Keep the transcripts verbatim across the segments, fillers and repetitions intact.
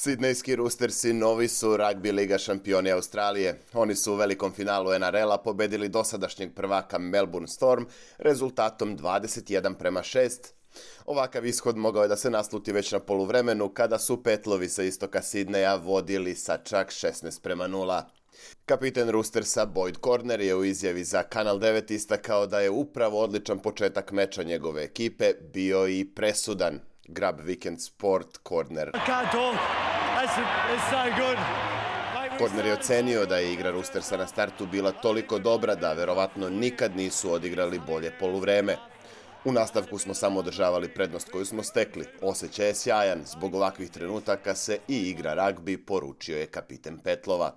Sidnejski Roostersi novi su ragbi liga šampioni Australije. Oni su u velikom finalu N R L-a pobedili dosadašnjeg prvaka Melbourne Storm rezultatom dvadeset jedan prema šest. Ovakav ishod mogao je da se nasluti već na poluvremenu kada su Petlovi sa istoka Sidneja vodili sa čak šesnaest prema nula. Kapiten Roostersa Boyd Corner je u izjavi za Kanal devet istakao da je upravo odličan početak meča njegove ekipe bio i presudan. Grab Weekend Sport Corner. Corner je ocenio da je igra Roostersa na startu bila toliko dobra da verovatno nikad nisu odigrali bolje poluvreme. U nastavku smo samo održavali prednost koju smo stekli. Osjećaj je sjajan, zbog ovakvih trenutaka se i igra ragbi, poručio je kapiten Petlova.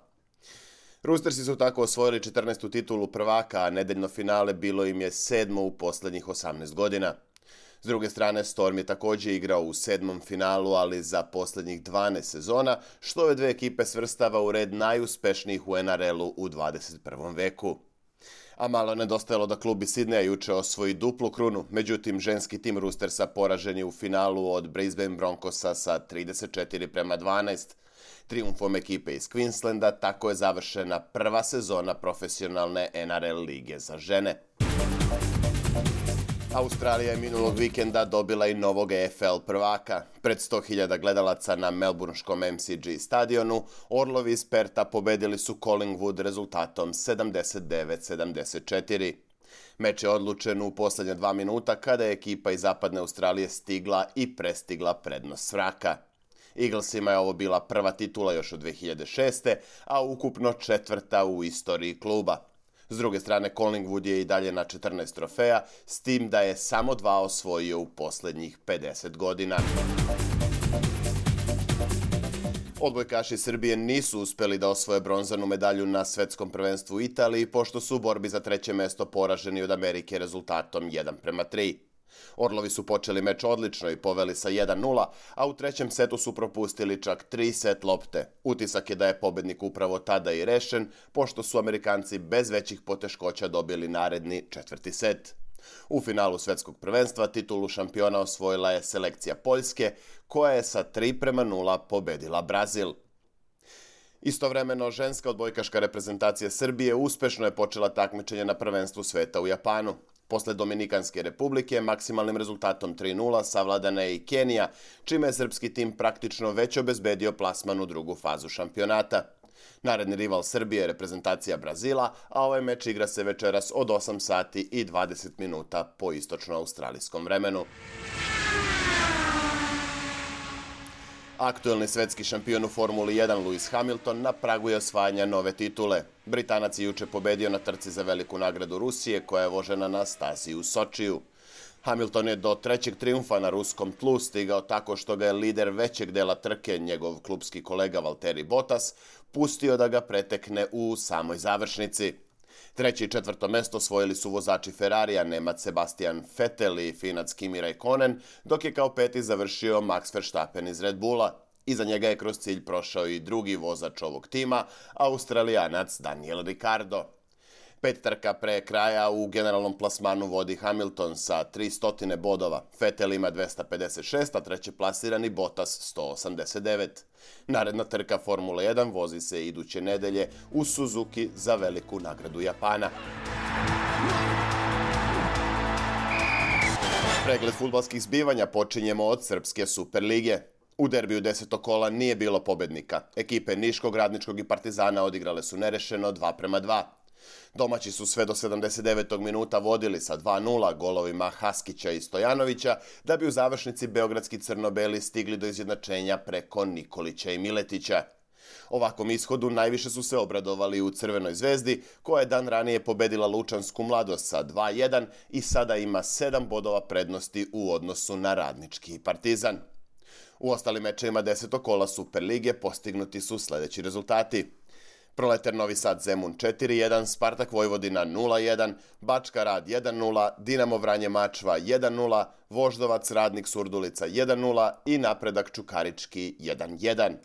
Roostersi su tako osvojili četrnaestu titulu prvaka, a nedeljno finale bilo im je sedmo u poslednjih osamnaest godina. S druge strane, Storm je također igrao u sedmom finalu, ali za poslednjih dvanaest sezona, što ove dve ekipe svrstava u red najuspešnijih u N R L-u u dvadeset prvom veku. A malo nedostajalo da klub iz Sidneja juče osvoji duplu krunu, međutim ženski tim Roostersa poražen je u finalu od Brisbane Broncosa sa trideset četiri prema dvanaest. Trijumfom ekipe iz Queenslanda tako je završena prva sezona profesionalne N R L lige za žene. Australija je minulog vikenda dobila i novog E F L prvaka. Pred sto hiljada gledalaca na melburnskom M C G stadionu, Orlovi iz Perta pobedili su Collingwood rezultatom sedamdeset devet sedamdeset četiri. Meč je odlučen u poslednja dva minuta kada je ekipa iz zapadne Australije stigla i prestigla prednost s vraka. Eaglesima je ovo bila prva titula još od dve hiljade šeste. a ukupno četvrta u istoriji kluba. S druge strane, Collingwood je i dalje na četrnaest trofeja, s tim da je samo dva osvojio u poslednjih pedeset godina. Odbojkaši Srbije nisu uspeli da osvoje bronzanu medalju na svetskom prvenstvu u Italiji, pošto su u borbi za treće mesto poraženi od Amerike rezultatom jedan prema tri. Orlovi su počeli meč odlično i poveli sa jedan nula, a u trećem setu su propustili čak tri set lopte. Utisak je da je pobednik upravo tada i rešen, pošto su Amerikanci bez većih poteškoća dobili naredni četvrti set. U finalu svetskog prvenstva titulu šampiona osvojila je selekcija Poljske, koja je sa tri prema nula pobedila Brazil. Istovremeno, ženska odbojkaška reprezentacija Srbije uspešno je počela takmičenje na prvenstvu sveta u Japanu. Posle Dominikanske republike, maksimalnim rezultatom tri nula savladana je i Kenija, čime je srpski tim praktično već obezbedio plasman u drugu fazu šampionata. Naredni rival Srbije je reprezentacija Brazila, a ovaj meč igra se večeras od osam sati i dvadeset minuta po istočno-australijskom vremenu. Aktuelni svetski šampion u Formuli jedan Lewis Hamilton na pragu je osvajanja nove titule. Britanac je juče pobedio na trci za veliku nagradu Rusije, koja je vožena na stazi u Sočiju. Hamilton je do trećeg trijumfa na ruskom tlu stigao tako što ga je lider većeg dela trke, njegov klubski kolega Valtteri Bottas, pustio da ga pretekne u samoj završnici. Treće i četvrto mesto osvojili su vozači Ferrarija, Nemac Sebastian Vettel i Finac Kimi Räikkönen, dok je kao peti završio Max Verstappen iz Red Bulla. Iza njega je kroz cilj prošao i drugi vozač ovog tima, Australijanac Daniel Ricciardo. Pet trka pre kraja u generalnom plasmanu vodi Hamilton sa tristo bodova, Vettel ima dvesta pedeset šest, a treće plasirani Bottas sto osamdeset devet. Naredna trka Formula jedan vozi se iduće nedelje u Suzuki za veliku nagradu Japana. Pregled fudbalskih zbivanja počinjemo od Srpske Superlige. U derbiju desetog kola nije bilo pobednika. Ekipe Niškog, Radničkog i Partizana odigrale su nerešeno dva prema dva. Domaći su sve do sedamdeset devetog minuta vodili sa dva nula golovima Haskića i Stojanovića, da bi u završnici beogradski crno-beli stigli do izjednačenja preko Nikolića i Miletića. Ovakvom ishodu najviše su se obradovali u Crvenoj zvezdi, koja je dan ranije pobedila Lučansku Mladost sa dva jedan i sada ima sedam bodova prednosti u odnosu na Radnički i Partizan. U ostalim mečevima desetog kola Superlige postignuti su sledeći rezultati. Proleter Novi Sad Zemun četiri jedan, Spartak Vojvodina nula jedan, Bačka Rad jedan nula, Dinamo Vranje Mačva jedan nula, Voždovac Radnik Surdulica jedan nula i Napredak Čukarički jedan jedan.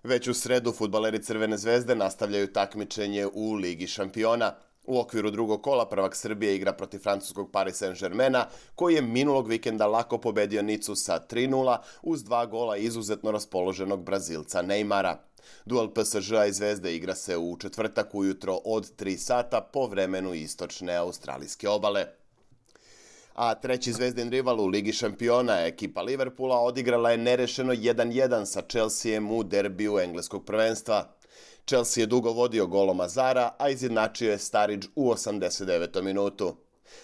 Već u sredu fudbaleri Crvene zvezde nastavljaju takmičenje u Ligi šampiona. U okviru drugog kola prvak Srbije igra protiv francuskog Paris Saint-Germaina, koji je minulog vikenda lako pobedio Nicu sa tri nula uz dva gola izuzetno raspoloženog Brazilca Neymara. Duel P S Ž-a i Zvezde igra se u četvrtak ujutro od tri sata po vremenu istočne australijske obale. A treći Zvezdin rival u Ligi šampiona, ekipa Liverpoola, odigrala je nerešeno jedan jedan sa Chelseaem u derbiju engleskog prvenstva. Chelsea je dugo vodio golom Azara, a izjednačio je Sturridge u osamdeset devetom minutu.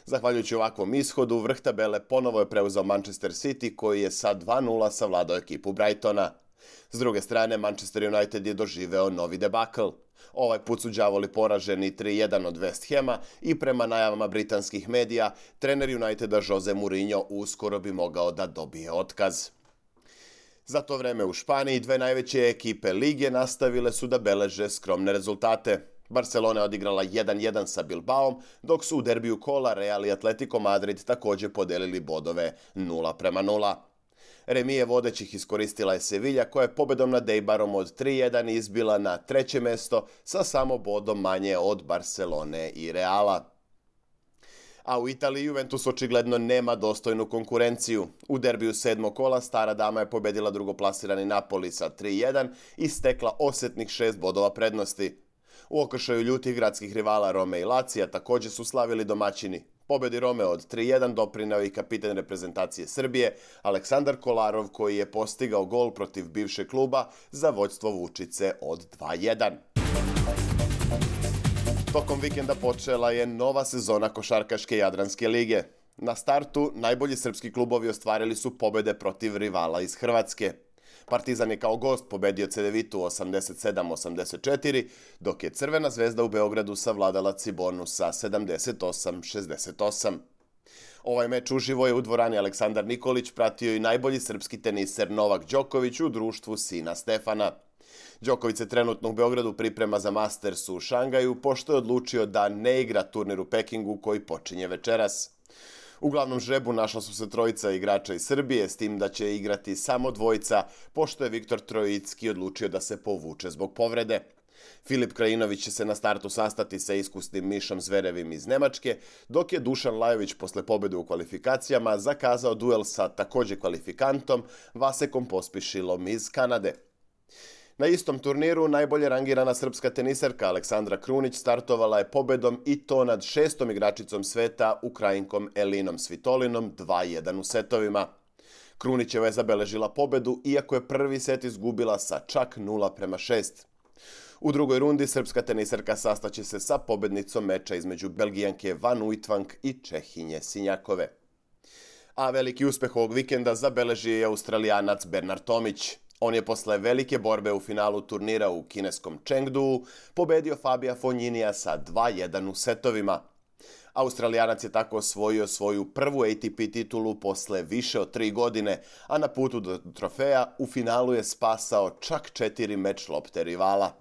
Zahvaljujući ovakvom ishodu, vrh tabele ponovo je preuzeo Manchester City, koji je sa dva nula savladao ekipu Brightona. S druge strane, Manchester United je doživeo novi debakl. Ovaj put su đavoli poraženi tri jedan od West Hama i prema najavama britanskih medija, trener Uniteda Jose Mourinho uskoro bi mogao da dobije otkaz. Za to vreme u Španiji dve najveće ekipe lige nastavile su da beleže skromne rezultate. Barcelona je odigrala jedan jedan sa Bilbaom, dok su u derbiju kola Real i Atletico Madrid također podelili bodove nula prema nula. Remije vodećih iskoristila je Sevilla, koja je pobedom nad Eibarom od tri jedan izbila na treće mesto sa samo bodom manje od Barcelone i Reala. A u Italiji Juventus očigledno nema dostojnu konkurenciju. U derbiju sedmog kola stara dama je pobedila drugoplasirani Napoli sa tri jedan i stekla osjetnih šest bodova prednosti. U okršaju ljutih gradskih rivala Rome i Lacija također su slavili domaćini. Pobedi Rome od tri jedan doprineo i kapitan reprezentacije Srbije Aleksandar Kolarov, koji je postigao gol protiv bivšeg kluba za vođstvo Vučice od dva jedan. Tokom vikenda počela je nova sezona košarkaške Jadranske lige. Na startu najbolji srpski klubovi ostvarili su pobede protiv rivala iz Hrvatske. Partizan je kao gost pobedio Cedevitu osamdeset sedam osamdeset četiri, dok je Crvena zvezda u Beogradu savladala Cibonu sa sedamdeset osam šezdeset osam. Ovaj meč uživo je u dvorani Aleksandar Nikolić pratio i najbolji srpski teniser Novak Đoković u društvu sina Stefana. Đoković se trenutno u Beogradu priprema za Masters u Šangaju, pošto je odlučio da ne igra turnir u Pekingu koji počinje večeras. U glavnom žrebu našla su se trojica igrača iz Srbije, s tim da će igrati samo dvojica, pošto je Viktor Trojicki odlučio da se povuče zbog povrede. Filip Krajinović će se na startu sastati sa iskusnim Mišom Zverevim iz Nemačke, dok je Dušan Lajović posle pobjede u kvalifikacijama zakazao duel sa također kvalifikantom Vasekom Pospišilom iz Kanade. Na istom turniru najbolje rangirana srpska teniserka Aleksandra Krunić startovala je pobedom i to nad šestom igračicom sveta, Ukrajinkom Elinom Svitolinom dva jedan u setovima. Krunićeva je zabeležila pobedu, iako je prvi set izgubila sa čak nula prema šest. U drugoj rundi srpska teniserka sastaće se sa pobednicom meča između Belgijanke Van Uytvanck i Čehinje Sinjakove. A veliki uspeh ovog vikenda zabeležio je Australijanac Bernard Tomić. On je posle velike borbe u finalu turnira u kineskom Chengduu pobedio Fabija Fogniniya sa dva jedan u setovima. Australijanac je tako osvojio svoju prvu A T P titulu posle više od tri godine, a na putu do trofeja u finalu je spasao čak četiri meč lopte rivala.